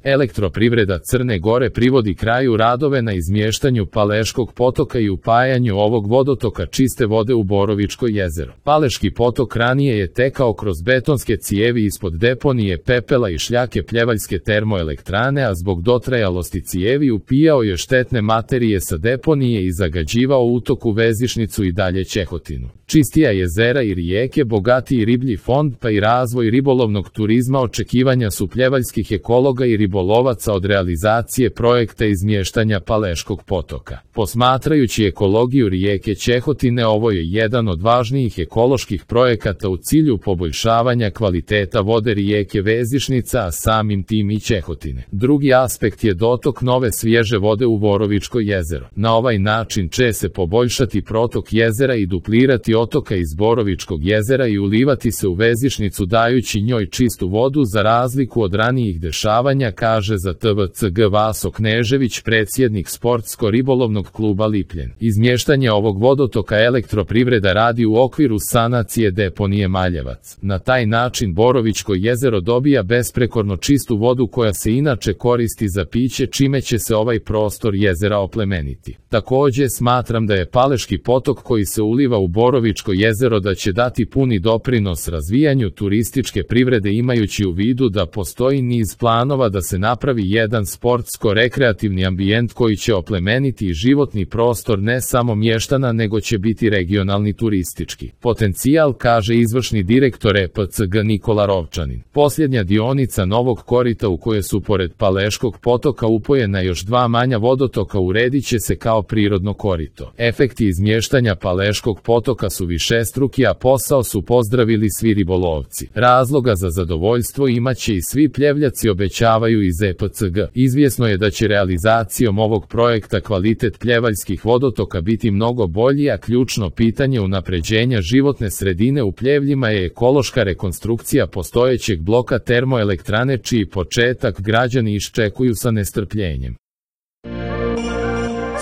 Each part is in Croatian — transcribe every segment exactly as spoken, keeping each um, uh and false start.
Elektroprivreda Crne Gore privodi kraju radove na izmještanju Paleškog potoka i upajanju ovog vodotoka čiste vode u Borovičko jezero. Paleški potok ranije je tekao kroz betonske cijevi ispod deponije pepela i šljake Pljevaljske termoelektrane, a zbog dotrajalosti cijevi upijao je štetne materije sa deponije i zagađivao utoku Vezišnicu i dalje Čehotinu. Čistija jezera i rijeke, bogatiji riblji fond pa i razvoj ribolovnog turizma očekivanja su pljevaljskih ekologa i ribolovaca od realizacije projekta izmještanja Paleškog potoka. Posmatrajući ekologiju rijeke Čehotine, ovo je jedan od važnijih ekoloških projekata u cilju poboljšavanja kvaliteta vode rijeke Vezišnica, a samim tim i Čehotine. Drugi aspekt je dotok nove svježe vode u Borovičko jezero. Na ovaj način će se poboljšati protok jezera i duplirati otoka iz Borovičkog jezera i ulivati se u Vezišnicu, dajući njoj čistu vodu za razliku od ranijih dešavanja, kaže za T V C G Vaso Knežević, predsjednik Sportsko-ribolovnog kluba Lipljen. Izmještanje ovog vodotoka Elektroprivreda radi u okviru sanacije deponije Maljevac. Na taj način Borovičko jezero dobija besprekorno čistu vodu koja se inače koristi za piće, čime će se ovaj prostor jezera oplemeniti. Također smatram da je Paleški potok koji se uliva u Borovičko jezero da će dati puni doprinos razvijanju turističke privrede, imajući u vidu da postoji niz planova da se napravi jedan sportsko-rekreativni ambijent koji će oplemeniti i životni prostor ne samo mještana, nego će biti regionalni turistički potencijal, kaže izvršni direktor E P C G Nikola Rovčanin. Posljednja dionica novog korita u koje su pored Paleškog potoka upojena još dva manja vodotoka uredit će se kao prirodno korito. Efekti izmještanja Paleškog potoka su višestruki, a posao su pozdravili svi ribolovci. Razloga za zadovoljstvo imaće i svi Pljevljaci, obećavaju iz E P C G. Izvjesno je da će realizacijom ovog projekta kvalitet pljevaljskih vodotoka biti mnogo bolji, a ključno pitanje unapređenja životne sredine u Pljevljima je ekološka rekonstrukcija postojećeg bloka termoelektrane, čiji početak građani iščekuju sa nestrpljenjem.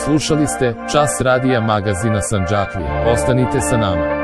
Slušali ste Čas radija magazina Sandžaklije. Ostanite sa nama.